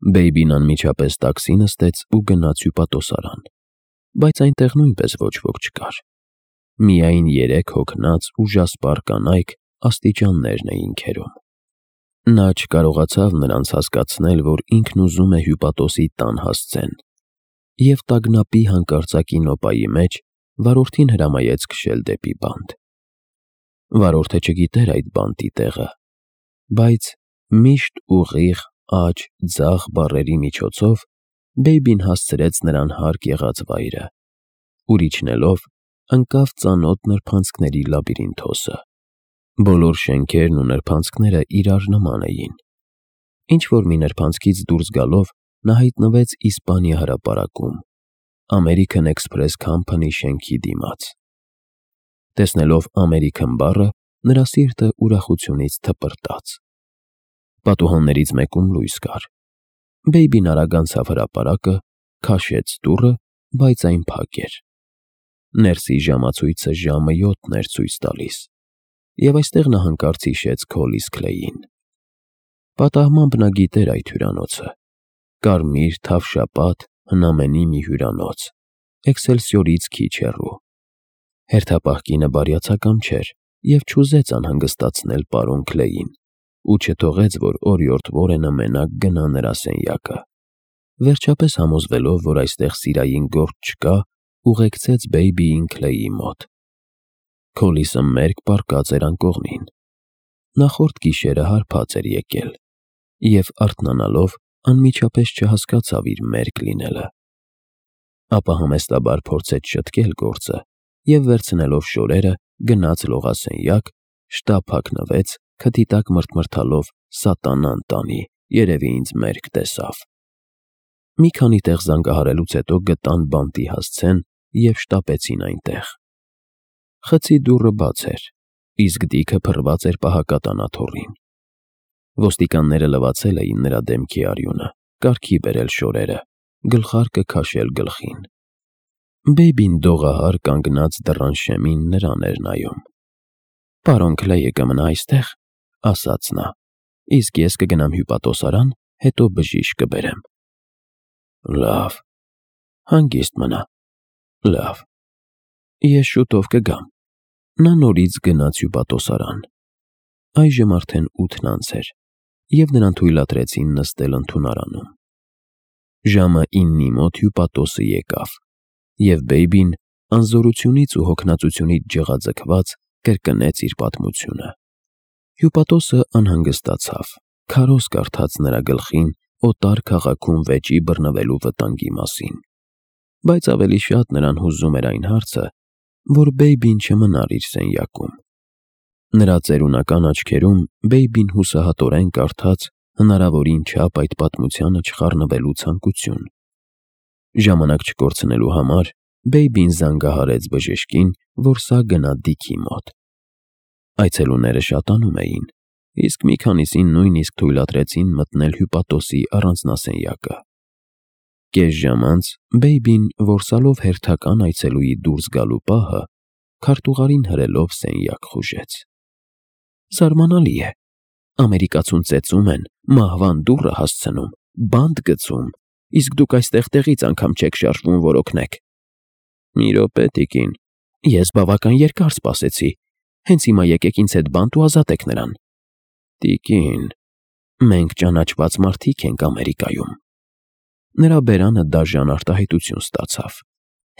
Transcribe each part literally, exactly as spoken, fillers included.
Բեյբին անմիջապես տաքսի նստեց ու գնաց հյուպատոսարան, բայց այնտեղ նույնպես ոչ ոք չկար։ Միայն երեք հոգնած ու ժասպառ կանայք աստիճաններն էին քերում։ Նա չկարողացավ նրանց հասկացնել, որ ինքն ուզում է հյուպատոսի տան հասցեն, և տագնապի հանկարծակի նոպայի մեջ վարորդին հրամայեց քշել դեպի բանտ։ Վարորդը չգիտեր այդ բանտի տեղը, բայց միշտ ուղիղ, աջ, ձախ բառերի միջոցով Բեյբին հասցրեց նրան հարկ եղած վայրը, ուր իջնելով ընկավ ծանոթ նրբանցքների լաբիրինթոսը։ Բոլոր շենքերն ու նրբանցքները իրար նման էին։ Ինչ-որ մի նրբանցքից դուրս գալով նա հայտնվեց Իսպանիա հրապարակում, American Express Company շենքի դիմաց։ Տեսնելով American բառը, նրա սիրտը ուրախությունից թպրտաց։ Պատուհաններից մեկում լույս կար։ Բեյբին արագ անցավ հրապարակը, քաշեց դուռը, բայց այն փակ էր։ Ներսի ժամացույցը ժամը յոթն էր ցույց տալիս, և այստեղ նա հանկարծ հիշեց Քոլիս Քլեյին։ Պատահմամբ նա գիտեր այդ հյուրանոցը։ Կարմիր, թավշապատ, հնամենի մի հյուրանոց, Էքսելսիորից քիչ հեռու։ Հերթապահ կինը բարյացակամ չէր և չուզեց անհանգստացնել պարոն Քլեյին ու չթողեց, որ օրիորդ Որենը մենակ գնա նրա սենյակը։ Վերջապես համոզվելով, որ այստեղ սիրային գործ չկա, ուղեկցեց Բեյբիին Քլեյի մոտ։ Քոլիսը մերկ պառկած էր անկողնին։ Նախորդ գիշերը հարբած էր եկել և, արթնանալով, անմիջապես չհասկացավ իր մերկ լինելը։ Ապա համեստաբար փորձեց շտկել գործը և, վերցնելով շորերը, գնաց լողասենյակ, շտապ հագնվեց, քթի տակ մռթմռթալով «Սատանան տանի, երևի ինձ մերկ տեսավ»։ Մի քանի տեղ զանգահարելուց հետո գտան բանտի հասցեն և շտապեցին այնտեղ։ Խցի դուռը բաց էր, իսկ դիքը փռված էր պահակատան աթոռին։ Ոստիկանները լվացել էին նրա դեմքի արյունը, կարգի բերել շորերը, գլխարկը քաշել գլխին։ Բեյբին դողահար կանգնած դռան շեմին նրան էր նայում։ «Պարոն Քլեյը կմնա այստեղ», ֊ ասաց նա, «իսկ ես կգնամ հյուպատոսարան, հետո բժիշկ կբերեմ»։ «Լավ»։ «Հանգիստ մնա»։ «Լավ»։ «Ես շուտով կգամ»։ Նա նորից գնաց հյուպատոսարան։ Այժմ արդեն ութն անց էր, և նրան թույլատրեցին նստել ընդունարանում։ Ժամը իննի մոտ հյուպատոսը եկավ, և Բեյբին, անզորությունից ու հոգնածությունից ջղաձգված, կրկնեց իր պատմությունը։ Հյուպատոսը անհանգստացավ, քարոզ կարդաց նրա գլխին օտար քաղաքում վեճի բռնվելու վտանգի մասին, բայց ավելի շատ նրան հուզում էր այն հարցը, որ Բեյբին չմնար իր սենյակում։ Նրա ծերունական աչքերում Բեյբին հուսահատորեն կարդաց հնարավորին չափ այդ պատմությանը չխառնվելու ցանկություն։ Ժամանակ չկորցնելու համար Բեյբին զանգահարեց բժշկին, որ սա գնա Դիքի մոտ։ Այցելուները շատանում էին, իսկ մի քանիսին նույնիսկ թույլատրեցին մտնել հյուպատոսի առանձնասենյակը։ Կես ժամ անց Բեյբին, որսալով հերթական այցելուի դուրս գալու պահը, քարտուղարին հրելով սենյակ խուժեց։ «Զարմանալի է, ամերիկացուն ծեծում են, մահվան դուռը հասցնում, բանտ գցում, իսկ դուք այստեղ տեղից անգամ չեք շարժվում, որ օգնեք»։ «Մի րոպե, տիկին, ես բավական երկար սպասեցի, հենց հիմա եկեք ինձ հետ բանտ ու ազատեք նրան»։ «Տիկին, մենք ճանաչված մարդիկ ենք Ամերիկայում»։ Նրա բերանը դաժան արտահայտություն ստացավ։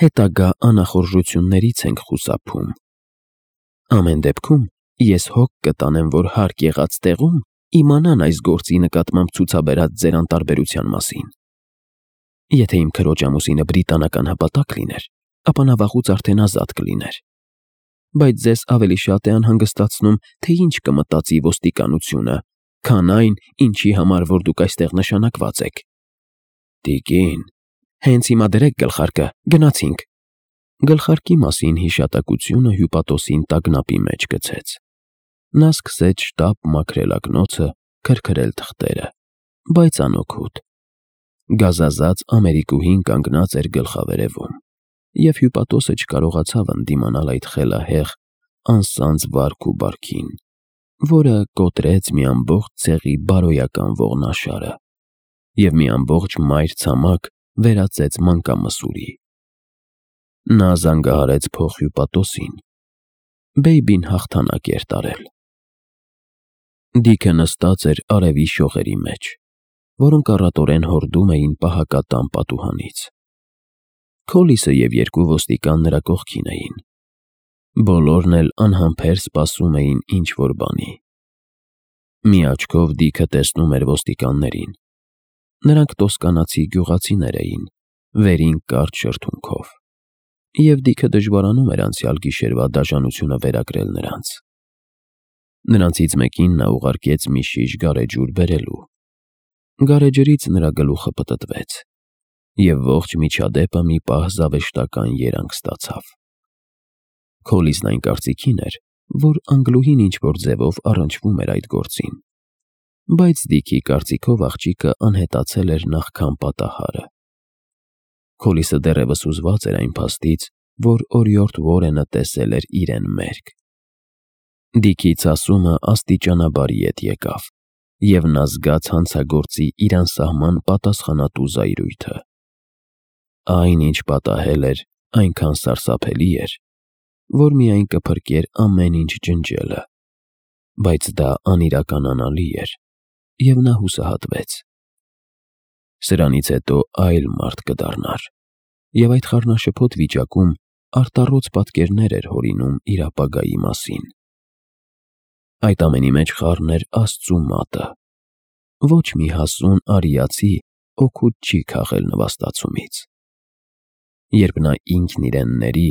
«Հետագա անախորժություններից ենք խուսափում։ Ամեն դեպքում ես հոգ կտանեմ, որ հարկ եղած տեղում իմանան այս գործի նկատմամբ ցուցաբերած ձեր անտարբերության մասին։ Եթե իմ քրոջ ամուսինը բրիտանական հպատակ լիներ, ապա նա վաղուց արդեն ազատ կլիներ։ Բայց ձեզ ավելի շատ է անհանգստացնում, թե ինչ կմտածի ոստիկանությունը, քան այն, ինչի համար որ դուք այստեղ նշանակված եք»։ «Տիկին, հենց հիմա դրեք գլխարկը, գնացինք»։ Գլխարկի մասին հիշատակությունը հյուպատոսին տագնապի մեջ գցեց։ Նա սկսեց շտապ մաքրել ակնոցը, քրքրել թղթերը, բայց անօգուտ։ Գազազած ամերիկուհին կանգնած էր գլխավերևում, և հյուպատոսը չկարողացավ ընդդիմանալ այդ խելահեղ, անսանձ վարք ու բարքին, որը կոտրեց մի ամբողջ ցեղի բարոյական ողնաշարը և մի ամբողջ մայր ցամաք վերածեց մանկամսուրի։ Նա զանգահարեց փոխհյուպատոսին։ Բեյբին հաղթանակ էր տարել։ Դիքը նստած էր արևի շողերի մեջ, որոնք առատորեն հորդում էին պահակատան պատուհանից։ Քոլիսը և երկու ոստիկան նրա կողքին էին։ Բոլորն էլ անհամբեր սպասում էին ինչ-որ բանի։ Մի աչքով Դիքը տեսնում էր ոստիկաններին։ Նրանք տոսկանացի գյուղացիներ էին, վերին կարճ շրթունքով, և Դիքը դժվարանում էր անցյալ գիշերվա դաժանությունը վերագրել նրանց։ Նրանցից մեկին նա ուղարկեց մի շիշ գարեջուր բերելու։ Գարեջրից նրա գլուխը պտտվեց, և ողջ միջադեպը մի պահ զավեշտական երանգ ստացավ։ Քոլիսն այն կարծիքին էր, որ Անգլուհին ինչ-որ ձևով առնչվում էր այդ գործին, բայց Դիքի կարծիքով աղջիկը անհետացել էր նախքան պատահարը։ Քոլիսը դեռևս հուզված էր այն փաստից, որ օրիորդ Ուորենը տեսել էր իրեն մերկ։ Դիքի ցասումը աստիճանաբար ետ եկավ, և նա զգաց հանցագործի իր անսահման պատասխանատու զայրույթը։ Այն, ինչ պատահել էր, այնքան սարսափելի էր, որ միայն կփրկեր ամեն ինչ ջնջելը, բայց դա անիրականանալի էր, և նա հուսահատվեց։ Սրանից հետո այլ մարդ կդառնար, և այդ խառնաշփոթ վիճակում արտառոց պատկերներ էր հորինում իր ապագայի մասին։ Այդ ամենի մեջ խառն էր Աստծու մատը։ Ոչ մի հասուն արիացի օգուտ չի քաղել նվաստացումից։ Երբ նա ինքն իրեն ների,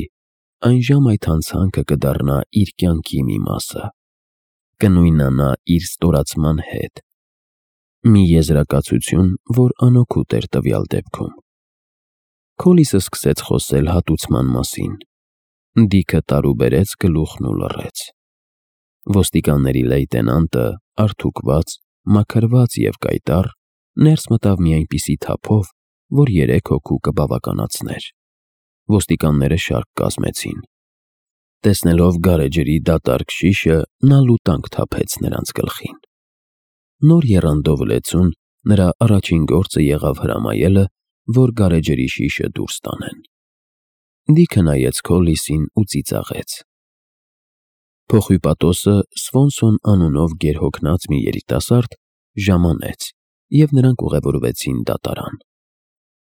այնժամ այդ հանցանքը կդառնա իր կյանքի մի մասը, կնույնանա իր ստորացման հետ։ Մի եզրակացություն, որ անօգուտ էր տվյալ դեպքում։ Քոլիսը սկսեց խոսել հատուցման մասին։ Դիքը տարուբերեց գլուխն ու լռեց։ Ոստիկանների լեյտենանտը, արթուկված, մաքրված և կայտառ, ներս մտավ մի այնպիսի թափով, որ երեք հոգու կբավականացներ։ Ոստիկանները շարք կազմեցին։ Տեսնելով գարեջրի դատարկ շիշը, նա լուտանք թափեց նրանց գլխին։ Նոր եռանդով լեցուն նրա առաջին գործը եղավ հրամայելը, որ գարեջրի շիշը դուրս տանեն։ Դիքը նայեց Քոլիսին ու ծիծաղեց։ Փոխհյուպատոսը Սվոնսոն անունով գերհոգնած մի երիտասարդ ժամանեց, և նրանք ուղևորվեցին դատարան։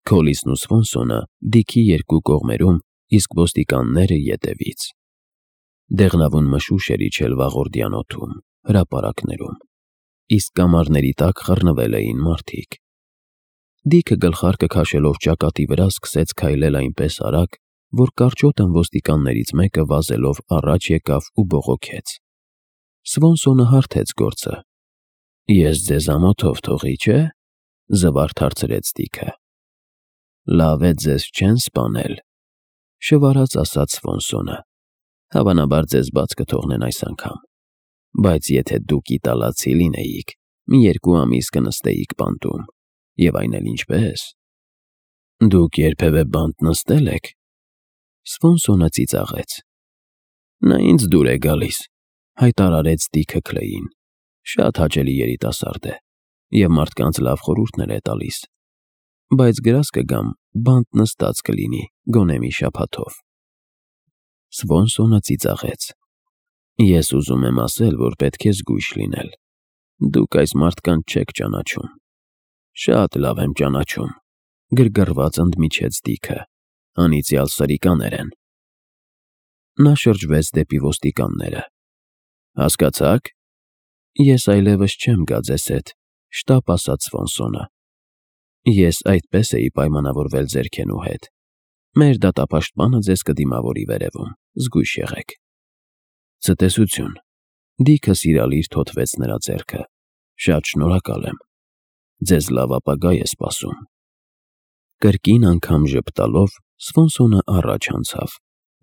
Քոլիսն ու Սվոնսոնը Դիքի երկու կողմերում, իսկ ոստիկանները ետևից։ Դեղնավուն մշուշ էր իջել վաղորդյան օդում, հրապարակներում, իսկ կամարների տակ խռնվել էին մարդիկ։ Դիքը գլխարկը քաշելով ճակատի վրա սկսեց քայլել այնպես արագ, որ կարճոտն ոստիկաններից մեկը վազելով առաջ եկավ ու բողոքեց։ Սվոնսոնը հարթեց գործը։ «Ես ձեզ ամոթով թողի, չէ՞», զվարթ հարցրեց Դիքը։ «Լավ է ձեզ չեն սպանել», շվարած ասաց Սվոնսոնը։ «Հավանաբար ձեզ բաց կթողնեն այս անգամ, բայց եթե դուք իտալացի լինեիք, մի երկու ամիս կնստեիք բանտում, և այն էլ ինչպես»։ «Դուք երբևէ բանտ նստե՞լ եք»։ Սվոնսոնը ծիծաղեց։ «Նա ինձ դուր է գալիս», հայտարարեց Դիքը Քլեյին։ «Շատ հաճելի երիտասարդ է և մարդկանց լավ խորհուրդներ է տալիս, բայց գրազ կգամ, բանտ նստած կլինի, գոնե մի շաբաթով»։ Սվոնսոնը ծիծաղեց։ «Ես ուզում եմ ասել, որ պետք է զգույշ լինել։ Դուք այս մարդկանց չեք ճանաչում»։ «Շատ լավ եմ ճանաչում», գրգռված ընդմիջեց Դիքը։ «Անիծյալ սրիկաներ են»։ Նա շրջվեց դեպի ոստիկանները։ «Հասկացա՞ք»։ «Ես այլևս չեմ գա ձեզ հետ», շտապ ասաց Սվոնսոնը։ «Ես այդպես էի պայմանավորվել ձերքենու հետ։ Մեր դատապաշտպանը ձեզ կդիմավորի վերևում, զգույշ եղեք»։ «Ցտեսություն»։ Դիքը սիրալիր թոթվեց նրա ձեռքը։ «Շատ շնորհակալ եմ։ Ձեզ լավ ապագա է սպասում»։ Կրկին անգամ ժպտալով Սվոնսոնը առաջ անցավ,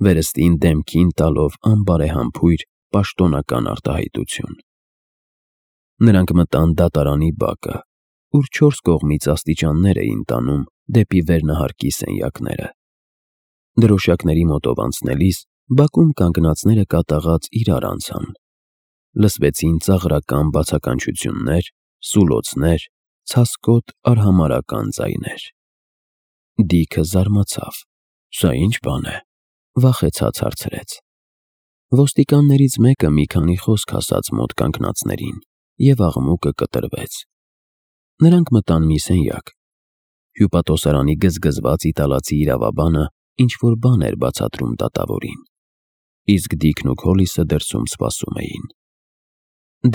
վերստին դեմքին տալով անբարեհամբույր պաշտոնական արտահայտություն։ Նրանք մտան դատարանի բակը, ուր չորս կողմից աստիճաններ էին տանում դեպի վերնահարկի սենյակները։ Դրոշակների մոտով անցնելիս բակում կանգնածները կատաղած իրար անցան։ Լսվեցին ծաղրական բացականչություններ, սուլոցներ, ցասկոտ արհամարհական ձայներ։ Դիքը զարմացավ. «Սա ի՞նչ բան է»։ Վախեցած հարցրեց։ Ոստիկաններից մեկը մի քանի խոսք ասաց մոտ կանգնածներին, և աղմուկը կտրվեց։ Նրանք մտան մի սենյակ։ Հյուպատոսարանի գզգզված իտալացի իրավաբանը ինչ-որ բան էր բացատրում դատավորին, իսկ Դիքն ու Քոլիսը դրսում սպասում էին։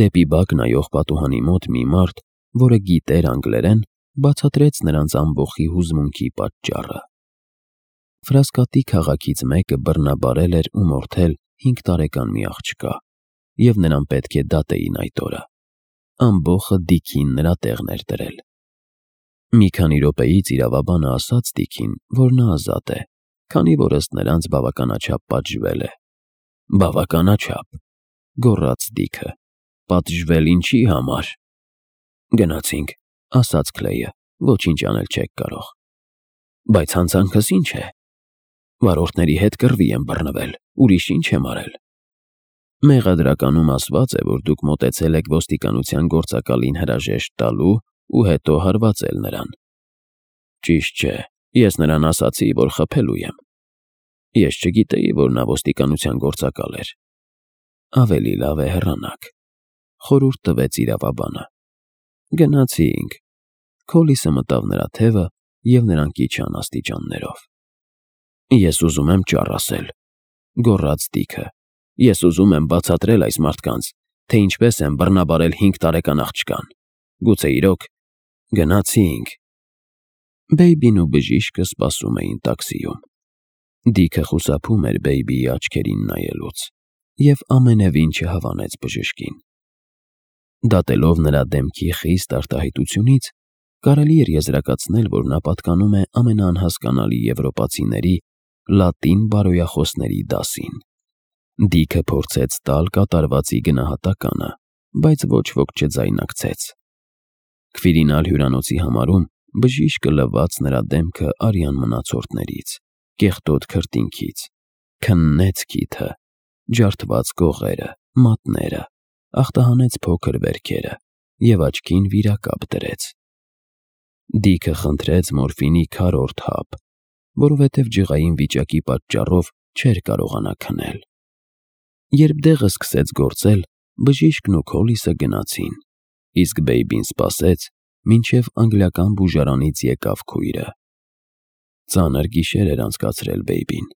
Դեպի բակ նայող պատուհանի մոտ մի մարդ, որը գիտեր անգլերեն, բացատրեց նրանց ամբոխի հուզմունքի պատճառը։ Ֆրասկատի քաղաքից մեկը բռնաբարել էր ու մորթել հինգ տարեկան մի աղջկա, և նրան պետք է դատեին այդ օրը։ Ամբոխը Դիքին նրա տեղն էր դրել։ Մի քանի րոպեից իրավաբանը ասաց Դիքին, որ նա ազատ է, քանի որ ըստ նրանց բավականաչափ պատժվել է։ «Բավականաչափ», գոռաց Դիքը, «պատժվել ինչի համար»։ «Գնացինք», ասաց Քլեյը, «ոչինչ անել չեք կարող»։ «Բայց հանցանքս ի՞նչ է»։ «Վարորդների հետ կռվի եմ բռնվել, ուրիշ ի՞նչ եմ արել»։ «Մեղադրականում ասված է, որ դուք մոտեցել եք ոստիկանության գործակալին հրաժեշտ տալու ու հետո հարվածել նրան»։ «Ճիշտ չէ, ես նրան ասացի, որ խփելու եմ»։ «Ես չգիտեի, որ նա ոստիկանության գործակալ էր»։ «Ավելի լավ է հեռանաք», խորհուրդ տվեց իրավաբանը։ Գնացինք։ Քոլիսը մտավ նրա թևը, և նրանք իջան աստիճաններով։ «Ես ուզում եմ ճառ ասել», գոռաց Դիքը։ «Ես ուզում եմ բացատրել այս մարդկանց, թե ինչպես եմ բռնաբարել հինգ տարեկան աղջկան։ Գուցե իրոք...» Գնացինք։ Բեյբին ու բժիշկը սպասում էին տաքսիում։ Դիքը խուսափում էր Բեյբիի աչքերին նայելուց և ամենևին չհավանեց բժշկին։ Դատելով նրա դեմքի խիստ արտահայտությունից, կարելի էր եզրակացնել, որ նա պատկանում է ամենաանհասկանալի եվրոպացիների լատին բարոյախոսների դասին։ Դիքը փորձեց տալ կատարվածի գնահատականը, բայց ոչ ոք չձայնակցեց։ Քվիրինալ հյուրանոցի համարում բժիշկը լվաց նրա դեմքը արյան մնացորդներից, կեղտոտ քրտինքից, քննեց քիթը, ջարդված կողերը, մատները, ախտահանեց փոքր վերքերը և աչքին վիրակապ դրեց։ Դիքը խնդրեց մորֆինի քառորդ հապ, որովհետև ջղային վիճակի պատճառով չէր կարողանա քնել։ Երբ դեղը սկսեց գործել, բժիշկն ու Քոլիսը գնացին, իսկ Բեյբին սպասեց, մինչև անգլիական բուժարանից եկավ քույրը։ Ծանր գիշեր էր անցկացրել Բեյբին,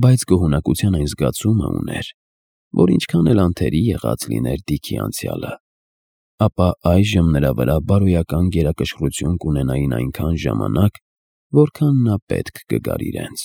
բայց գոհունակության այն զգացումը ուներ, որ ինչքան էլ անթերի եղած լիներ Դիքի անցյալը, ապա այժմ նրա վրա բարոյական գերակշռություն կունենային այնքան ժամանակ, որքան նա պետք կգար իրենց։